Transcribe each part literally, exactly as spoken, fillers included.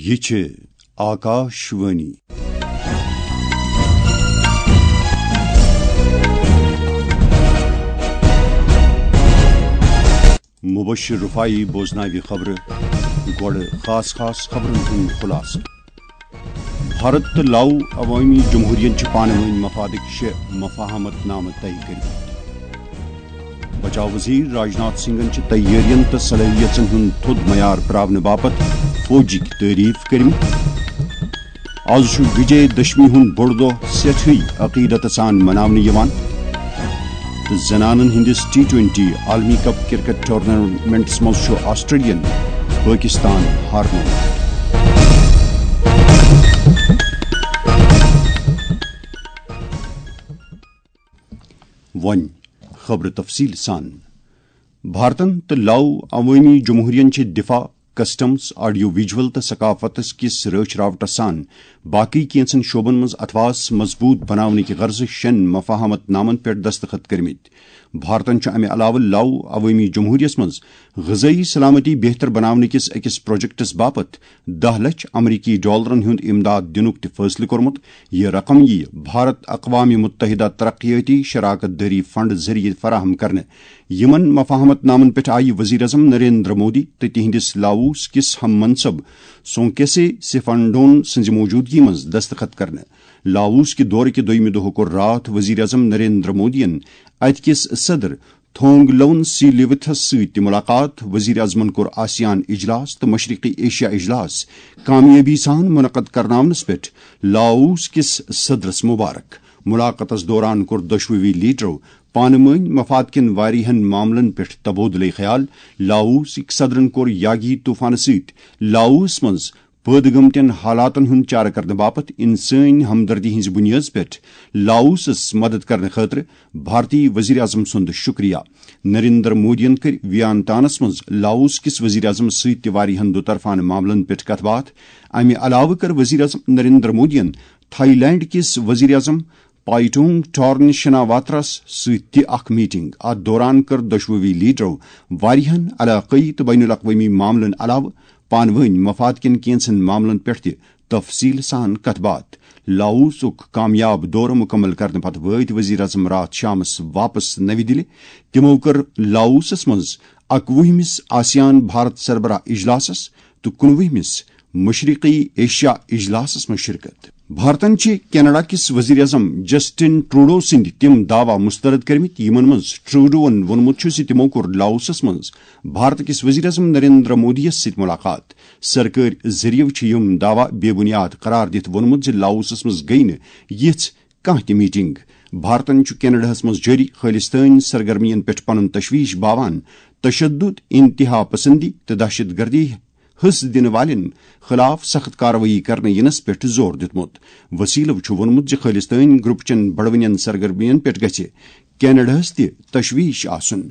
یہِ چھِ آکاش وانی۔ مبشر رفاعی بوزناوِ خبرٕ۔ گۄڈٕ خاص خاص خبرن ہُنٛد خلاصہٕ۔ بھارت تہٕ لاؤ عوٲمی جمہوٗریَن چھِ پانہٕ وٲنۍ مفادٕکۍ شےٚ مفاہمت نامہٕ طے کٔرمٕتۍ۔ بچاو وزیر راجناتھ سنگھن چھِ تیٲرین تہٕ صلٲحیژن ہُنٛد تھوٚد معیار پراونہٕ باپتھ فوجٕکۍ تعریف کٔرمٕتۍ۔ آز چھُ وجے دشمی ہُنٛد بوٚڑ دۄہ سٮ۪ٹھٕے عقیدت سان مناونہٕ یِوان۔ تہٕ زنانن ہٕنٛدِس ٹی ٹوئنٹی عالمی کپ کرکٹ ٹورنامنٹس منٛز چھُ آسٹریلین پٲکستان ہارنومُت۔ وۄنۍ خبرٕ تفصیٖل سان۔ بھارتن تہٕ لاؤ عوٲمی جمہوٗریَن چھِ دفاع، کسٹمز، آڈیو ویجول تہٕ ثقافتس کِس رٲچھ راوٹس سان باقٕے کینٛژن شعبن منٛز اتھواس مضبوٗط بناونٕکہِ غرضہٕ شٮ۪ن مفاہمت نامن پٮ۪ٹھ دستخط کٔرمٕتۍ۔ بھارتن چھُ امہِ علاوٕ لاؤ عوٲمی جمہوٗریَس منٛز غذٲیی سلامتی بہتر بناونہٕ کِس أکِس پروجیکٹس باپتھ دَہ لچھ امریکی ڈالرن ہُنٛد امداد دِنُک تہِ فٲصلہٕ کوٚرمُت۔ یہِ رقم یِیہِ بھارت اقوام متحدہ ترقیٲتی شراکت دٲری فنڈ ذٔریعہٕ فراہم کرنہٕ۔ یِمن مفاہمت نامن پٮ۪ٹھ آیہِ وزیر اعظم نریندر مودی تہٕ تِہنٛدِس لاؤس کِس ہم منصب سونکیسے سیفانڈون سٕنٛزِ موجودگی منٛز دستخط کرنہٕ۔ لاؤس کہِ دورٕ کہِ دوٚیمہِ دۄہہٕ کوٚر راتھ وزیر اعظم نریندر مودیَن اتہِ کِس صدر تھونگ لون سی لیوتھس سۭتۍ تہِ ملاقات۔ وزیر اعظمن کوٚر آسیان اجلاس تہٕ مشرقی ایشیا اجلاس کامیٲبی سان منعقد کرناونس پٮ۪ٹھ لاؤس کِس صدرس مبارک۔ ملاقاتس دوران کوٚر دۄشوٕے لیڈرو پانہٕ وٲنۍ مفاد کٮ۪ن واریاہن معاملن پٮ۪ٹھ تبادلہٕ خیال۔ لاؤسٕکۍ صدرن کوٚر یاگی طوفانہٕ سۭتۍ لاؤس منٛز پٲدٕ گٔمتٮ۪ن حالاتن ہُنٛد چارٕ کرنہٕ باپتھ انسٲنی ہمدردی ہٕنٛزِ بُنیٲدس پٮ۪ٹھ لاؤسس مدد کرنہٕ خٲطرٕ بھارتی وزیر اعظم سُنٛد شُکریہ۔ نریندر مودیَن کٔرۍ ویانتانس منٛز لاؤس کِس وزیر اعظمس سۭتۍ تہِ واریاہن دُطرفانہٕ معاملن پٮ۪ٹھ کتھ باتھ۔ امہِ علاوٕ کٔر وزیر اعظم نریندر مودیَن تھائی لینڈ کِس وزیر اعظم پائٹونگ ٹارن شناواترس سۭتۍ تہِ اکھ میٹنگ۔ اتھ دوران کٔر دۄشوٕے لیڈرو واریاہن علاقٲیی تہٕ بین الاقوٲمی معاملن علاوٕ پانہٕ وٲنۍ مفاد کٮ۪ن کینٛژن معاملن پٮ۪ٹھ تہِ تفصیل سان کتھ باتھ۔ لاؤسُک کامیاب دورٕ مکمل کرنہٕ پتہٕ وٲتۍ وزیر اعظم راتھ شامس واپس نوِ دِلہِ۔ تِمو کٔر لاؤسس منٛز اکوُہمِس آسیان بھارت سربراہ اجلاسس تہٕ کُنوُہمِس مشرقی ایشیا اجلاسس منٛز شرکت۔ بھارتن چھِ کینیڈا کِس وزیر اعظم جسٹن ٹروڈو سٕنٛدۍ تِم دعویٰ مسترد کٔرمٕتۍ، یِمن منٛز ٹروڈوَن ووٚنمُت چھُ زِ تِمو کوٚر لاؤسس منٛز بھارت کِس وزیر اعظم نریندر مودیَس سۭتۍ ملاقات۔ سرکٲرۍ ذٔریعہٕ چھِ یِم دعویٰ بے بنیاد قرار دِتھ ووٚنمُت زِ لاؤسس منٛز گٔیہِ نہٕ یِژھ کانٛہہ تہِ میٹنگ۔ بھارتن چھُ کینیڈاہَس منٛز جٲری خٲلِستٲنۍ سرگرمین پٮ۪ٹھ پنُن تشویش باوان تشدد، انتہا پسندی تہٕ دہشت گردی حصہٕ دِنہٕ والٮ۪ن خلاف سخت کاروٲیی کرنہٕ یِنس پٮ۪ٹھ زور دیُتمُت۔ وسیلو چھُ ووٚنمُت زِ خٲلِستٲنۍ گروپ چٮ۪ن بڑوٕنٮ۪ن سرگرمین پٮ۪ٹھ گژھِ کینیڈاہَس تہِ تشویش آسُن۔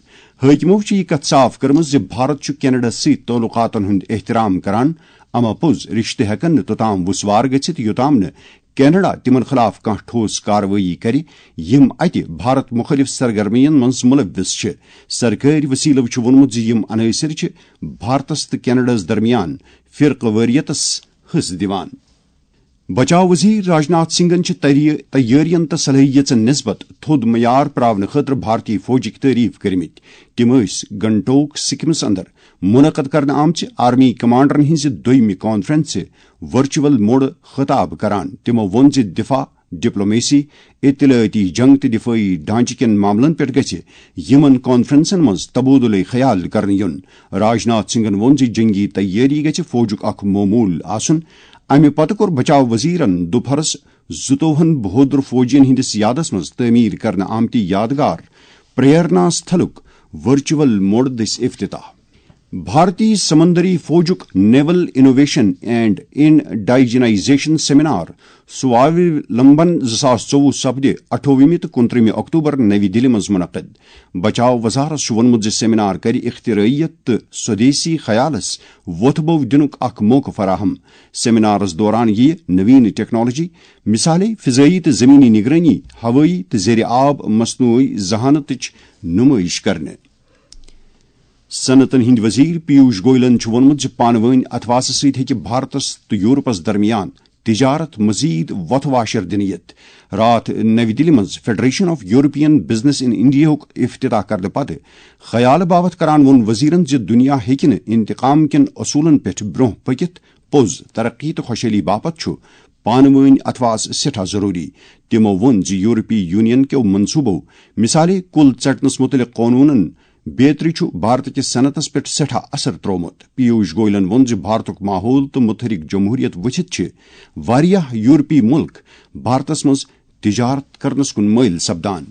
حٲکمو چھِ یہِ کتھ صاف کٔرمٕژ زِ بھارت چھُ کینیڈاہَس سۭتۍ تعلقاتن ہُنٛد احترام کران، اما پوٚز رشتہٕ ہٮ۪کن نہٕ توٚتام وُسوار گٔژھِتھ، یوٚتام نہٕ کینیڈا تِمن خلاف کانٛہہ ٹھوس کاروٲیی کرِ، یِم اتہِ بھارت مُخٲلف سرگرمین منٛز ملوث چھِ۔ سرکٲرۍ وسیلو چھُ ووٚنمُت زِ یِم عناصر چھِ بھارتس تہٕ کینیڈاہَس درمیان فرقہٕ وٲریتس حصہٕ دِوان۔ بچاو وزیر راجناتھ سنگھن چھِ تری-، تیٲرین تہٕ صلٲحیژن نسبت تھوٚد معیار پراونہٕ خٲطرٕ بھارتی فوجٕکۍ تعریف کٔرمٕتۍ۔ تِم ٲسۍ گنٹوک سکمس اندر منعقد کرنہٕ آمژِ آرمی کمانڈرن ہٕنٛزِ دوٚیمہِ کانفرنسہِ ورچوئل موڈٕ خطاب کران۔ تِمو ووٚن زِ دفاع، ڈپلومیسی، اطلاعاتی جنگ تہٕ دفٲعی ڈھانچہٕ کٮ۪ن معاملن پٮ۪ٹھ گژھِ یِمن کانفرنسن منٛز تبادلہٕ خیال کرنہٕ یُن۔ راجناتھ سنگھن ووٚن زِ جنگی تیٲری گژھِ فوجُک اکھ معموٗل آسُن۔ امہِ پتہٕ کوٚر بچاو وزیرن دُپہرس زٕتووُہن بہادر فوجین ہٕنٛدِس یادس منٛز تعمیٖر کرنہٕ آمتہِ یادگار پریرنا ستھلُک ورچوئل موڈ دٔسۍ افتتاح۔ بھارتی سمندری فوجُک نیول انوویشن اینڈ انڈیجنائزیشن سیمینار سواولمبن زٕ ساس ژوٚوُہ سپدِ اَٹھووُہمہِ تہٕ کُنترٛہمہِ اکتوبر نَوِ دِلہِ منٛز منعقد۔ بچاو وزارت چھُ ووٚنمُت زِ سیمینار کرِ اختراعیت تہٕ سودیسی خیالس وۄتھ بو دِنُک اکھ موقعہٕ فراہم۔ سیمینارس دوران یِیہِ نوین ٹیکنالوجی، مثالے فضائی تہٕ زمینی نگرانی، ہوٲیی تہٕ زیر آب مصنوعی ذہانتٕچ نمٲیش کرنہٕ۔ صنعتن ہٕنٛدۍ وزیر پیوش گویلن چھُ ووٚنمُت زِ پانہٕ وٲنۍ اتھواسہٕ سۭتۍ ہیٚکہِ بھارتس تہٕ یورپس درمیان تجارت مزید وۄتھٕ واشر دِنہٕ یِتھ۔ راتھ نَوِ دِلہِ منٛز Federation of European Business in India ہُک افتتاح کرنہٕ پتہٕ خیالہٕ باوتھ کران ووٚن وزیرن زِ دُنیا ہیٚکہِ نہٕ انتقام کٮ۪ن اصوٗلن پٮ۪ٹھ برٛونٛہہ پٔکِتھ پوٚز ترقی تہٕ خۄشحٲلی باپتھ چھُ پانہٕ وٲنۍ اتھواس سٮ۪ٹھاہ ضروٗری۔ تِمو ووٚن زِ یورپی یونین کٮ۪و منصوٗبو، مثالے کُل ژٹنس مُتعلق قونوٗنن بیترِ، چھُ بھارتہٕ کِس صنعتس پٮ۪ٹھ سٮ۪ٹھاہ اثر ترٛوومُت۔ پیوش گویلن ووٚن زِ بھارتُک ماحول تہٕ متحرک جمہوریت وٕچھِتھ چھِ واریاہ یورپی مُلک بھارتس منٛز تجارت کرنس کُن مٲیل سپدان۔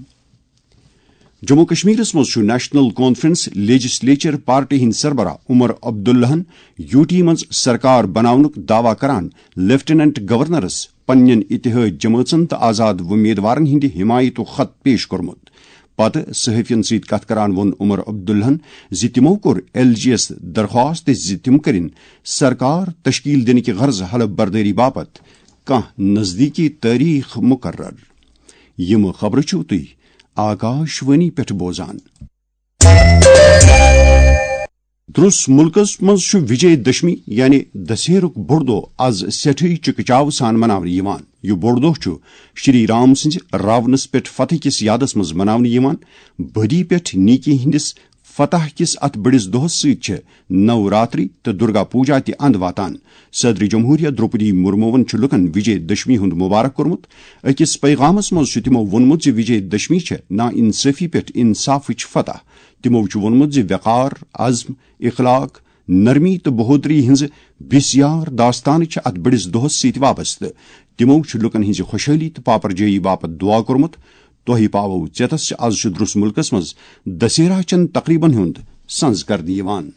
جموں کشمیرس منٛز چھُ نیشنل کانفرنس لیجسلیچر پارٹی ہٕنٛدۍ سربراہ عمر عبداللہن یوٗ ٹی منٛز سرکار بناونُک دعویٰ کران لیفٹیننٹ گورنرس پننٮ۪ن اتحاد جمٲژن تہٕ آزاد وۄمیدوارن ہٕنٛدِ حمایتُک خط پیش کوٚرمُت۔ پتہٕ صحافین سۭتۍ کتھ کران ووٚن عمر عبداللہن زِ تِمو کوٚر ایل جی یس درخواست زِ تِم کٔرِن سرکار تشکیل دِنہٕ کہِ غرضہٕ حلف بردٲری باپتھ کانٛہہ نزدیٖکی تٲریخ مقرر۔ یِم خبرٕ چھِو تُہۍ آکاش وانی پٮ۪ٹھ بوزان۔ درس ملکس منٛز چھُ وجے دشمی یعنی دسہرُک بوٚڑ دۄہ از سٮ۪ٹھٕے چکہٕ چاوٕ سان مناونہٕ یِوان۔ یہِ بوٚڑ دۄہ چھُ شری رام سٕنٛزِ راونس پٮ۪ٹھ فتح کِس یادس منٛز مناونہٕ یِوان۔ بدی پٮ۪ٹھ نیکی ہٕنٛدِس فتح کِس اتھ بٔڑِس دۄہس سۭتۍ چھِ نو راتری تہٕ درگا پوجا تہِ اند واتان۔ صدر جمہوریہ درٛوپدی مرموون چھُ لوٗکن وجے دشمی ہُنٛد مبارک کوٚرمُت۔ أکِس پیغامس منٛز چھُ تِمو ووٚنمُت زِ وجے دشمی چھےٚ نا انصٲفی پٮ۪ٹھ انصافٕچ فتح۔ تِمو چھُ ووٚنمُت زِ وقار، عزم، اخلاق، نرمی تہٕ بہودری ہٕنٛزٕ بسیار داستانہٕ چھِ اتھ بٔڑِس دۄہس سۭتۍ وابستہٕ۔ تِمو چھُ لوٗکن ہٕنٛزِ خۄشحٲلی تہٕ پاپرجٲیی باپتھ دعا کوٚرمُت۔ تۄہہِ پاوو ژیتس زِ از چھُ درس ملکس منٛز دسہرہ چٮ۪ن تقریبن ہُنٛد سنز کرنہٕ یِوان۔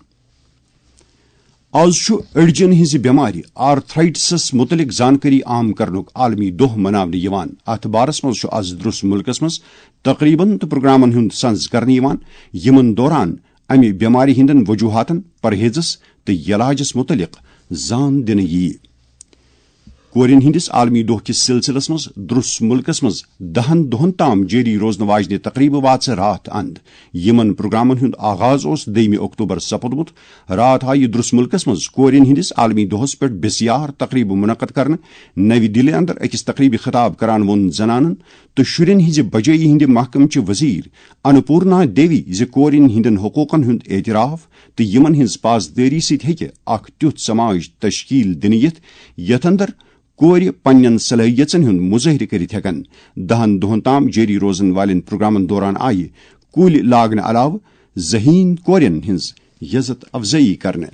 از چھُ أڈجن ہٕنٛزِ بٮ۪مارِ آرتھرائٹسس مُتعلق زانکٲری عام کرنُک عالمی دۄہ مناونہٕ یِوان۔ اتھ بارس منٛز چھُ از درس ملکس منٛز تقریبن تہٕ پروگرامن ہُنٛد سنز کرنہٕ یِوان، یِمن دوران امہِ بٮ۪مارِ ہٕنٛدٮ۪ن وجوہاتن، پرہیزس تہٕ علاجس مُتعلق زان دِنہٕ یِیہِ۔ کورٮ۪ن ہٕنٛدِس عالمی دۄہ کِس سلسلس منٛز درس ملکس منٛز دہن دۄہن تام جٲری روزنہٕ واجنہِ تقریبہٕ واژٕ راتھ اند، یِمن پروگرامن ہُنٛد آغاز اوس دٔیمہِ اکتوبر سپُدمُت۔ راتھ آیہِ درس ملکس منٛز کورٮ۪ن ہٕنٛدِس عالمی دۄہس پٮ۪ٹھ بسیار تقریبہٕ منعقد کرنہٕ۔ نوِ دِلہِ اندر أکِس تقریبہِ خطاب کران ووٚن زنانن تہٕ شُرٮ۪ن ہٕنٛزِ بجٲیی ہٕنٛدِ محکمہٕ چہِ وزیر انپورنا دیوی زِ کورٮ۪ن ہٕنٛدٮ۪ن حقوقن ہُنٛد اعتراف تہٕ یِمن ہٕنٛز پاسدٲری سۭتۍ ہیٚکہِ اکھ تیُتھ سماج تشکیل دِنہٕ یِتھ، یتھ اندر کورِ پننٮ۪ن صلٲحیژن ہُنٛد مظٲہرٕ کٔرِتھ ہٮ۪کن۔ دہن دۄہن تام جٲری روزن والٮ۪ن پروگرامن دوران آیہِ کُلۍ لاگنہٕ علاوٕ ذہین کورٮ۪ن ہٕنٛز عزت افزٲیی کرنہٕ۔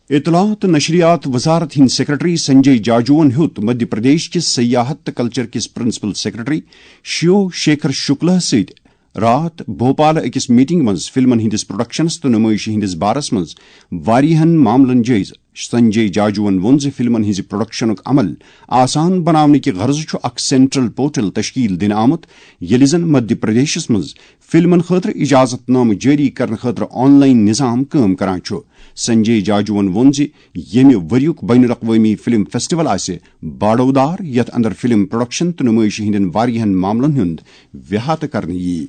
اطلاعات تہٕ نشریات وزارت ہٕنٛدۍ سیکرٹری سنجے جاجوَن ہیوٚت مدھیہ پردیش کِس سیاحت تہٕ کلچر کِس پرنسپل سیکرٹری شیو شیکھر شکلہَس سۭتۍ راتھ بھوپال أکِس میٹنگ منٛز فلمن ہٕنٛدِس پروڈکشنس تہٕ نمٲیشہِ ہٕنٛدِس بارس منٛز واریاہن معاملن جٲیزٕ۔ سنجے جاجوَن ووٚن زِ فلمن ہٕنٛزِ پروڈکشنُک عمل آسان بناونہٕ کہِ غرضہٕ چھُ اکھ سینٹرل پورٹل تشکیل دِنہٕ آمُت، ییٚلہِ زن مدھیہ پردیشس منٛز فلمن خٲطرٕ اجازت نامہٕ جٲری کرنہٕ خٲطرٕ آن لائن نظام کٲم کران چھُ۔ سنجے جاجوَن ووٚن زِ ییٚمہِ ؤریُک بین الاقوٲمی فلم فیسٹیول آسہِ باڑودار، یتھ اندر فلم پروڈکشن تہٕ نمٲیشہِ ہٕنٛدٮ۪ن واریاہن معاملن ہُنٛد احاطہٕ کرنہٕ یِیہِ۔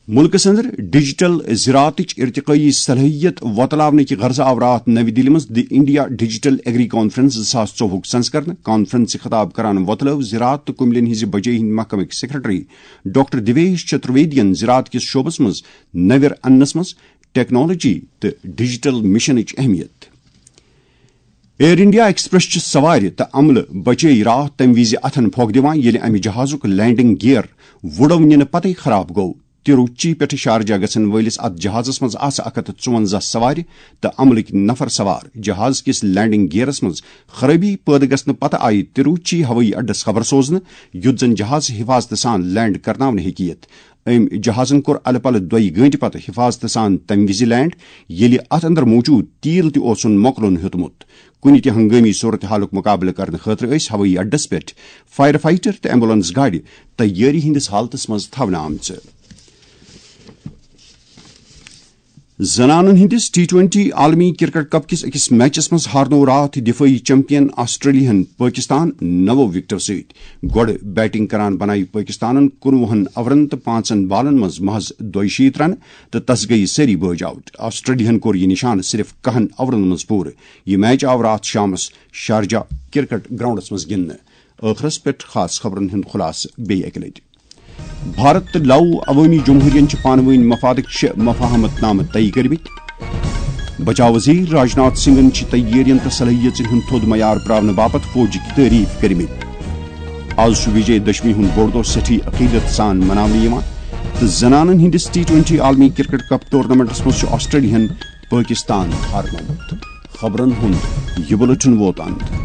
مُلکس اندر ڈیجیٹل زراعتٕچ ارتقٲیی صلٲحیت وۄتلاونہٕ کہِ غرضہٕ آو راتھ نَوِ دِلہِ منٛز دی انڈیا ڈیجیٹل ایگری کانفرنس زٕ ساس ژوٚوُہُک سنز کرنہٕ۔ کانفرنس خطاب کران وۄتلٲو زراعت تہٕ کُملٮ۪ن ہٕنٛزِ بجٲیی ہٕنٛدۍ محکمٕکۍ سیکرٹری ڈاکٹر دیویش چترویدین زراعت کِس شعبس منٛز نویر اننس منٛز ٹیکنالوجی تہٕ ڈیجیٹل مشنٕچ اہمیت۔ ایئر انڈیا ایکسپریس چہِ سوارِ تہٕ عملہٕ بچے راتھ تمہِ وِزِ اتھن پھۄکھ دِوان، ییٚلہِ امہِ جہازُک لینڈنگ گیئر وُڈو نِنہٕ پتے خراب گوٚو۔ تروچی پٮ۪ٹھٕ شارجہ گژھن وٲلِس اتھ جہازس منٛز آسہٕ اکھ ہتھ تہٕ ژُونزہ سوارِ تہٕ عملٕکۍ نفر سوار۔ جہاز کِس لینڈنگ گیئرس منٛز خرٲبی پٲدٕ گژھنہٕ پتہٕ آیہِ تروچی ہوٲیی اڈس خبر سوزنہٕ، یُتھ زن جہاز حفاظتہٕ سان لینڈ کرناونہٕ ہیٚکہِ یِتھ۔ أمۍ جہازن کوٚر الہٕ پلہٕ دۄیہِ گٲنٛٹہِ پتہٕ حفاظتہٕ سان تمہِ وِزِ لینڈ، ییٚلہِ اتھ اندر موجود تیل تہِ اوسُن مۄکلُن ہیوٚتمُت۔ کُنہِ تہِ ہنگٲمی صورتحالُک مُقابلہٕ کرنہٕ خٲطرٕ ٲسۍ ہوٲیی اڈس پٮ۪ٹھ فائر فائٹر تہٕ ایمبولینس گاڑِ تیٲری ہٕنٛدِس حالتس منٛز تھاونہٕ آمژٕ۔ زنانن ہٕنٛدِس ٹی ٹوئنٹی عالمی کرکٹ کپ کِس أکِس میچس منٛز ہارنوو راتھ دفٲعی چیمپین آسٹریلیاہن پٲکستان نَو وکٹو سۭتۍ۔ گۄڈٕ بیٹنگ کران بنایہِ پٲکستانن کُنوُہن اورن تہٕ پانٛژن بالن منٛز محض دۄیہِ شیٖتھ رنہٕ تہٕ تس گٔیہِ سٲری بٲج آوٹ۔ آسٹریلیاہن کوٚر یہِ نشانہٕ صرف کہن اورن منٛز پوٗرٕ۔ یہِ میچ آو راتھ شامس شارجہ کرکٹ گراؤنڈس منٛز گِنٛدنہٕ۔ ٲخرس پٮ۪ٹھ خاص خبرن ہُنٛد خلاصہٕ بیٚیہِ اکہِ لٹہِ۔ بھارت تہٕ لاؤ عوٲمی جمہوٗریَن چھِ پانہٕ وٲنۍ مفادٕک شےٚ مفاہمت نامہٕ طے کٔرمٕتۍ۔ بچاو وزیر راجناتھ سنگھن چھِ تیٲرین تہٕ صلٲحیژن ہُنٛد تھوٚد معیار پراونہٕ باپتھ فوجٕکۍ تعریف کٔرمٕتۍ۔ آز چھُ وجے دشمی ہُنٛد بوٚڑ دۄہ سٮ۪ٹھٕے عقیدت سان مناونہٕ یِوان تہٕ زنانن ہٕنٛدِس ٹی ٹوئنٹی عالمی کرکٹ کپ ٹورنامنٹس منٛز چھُ آسٹریلیاہن پٲکستان ہارنومُت۔ خبرن ہُنٛد یہِ بُلٹن ووت اند۔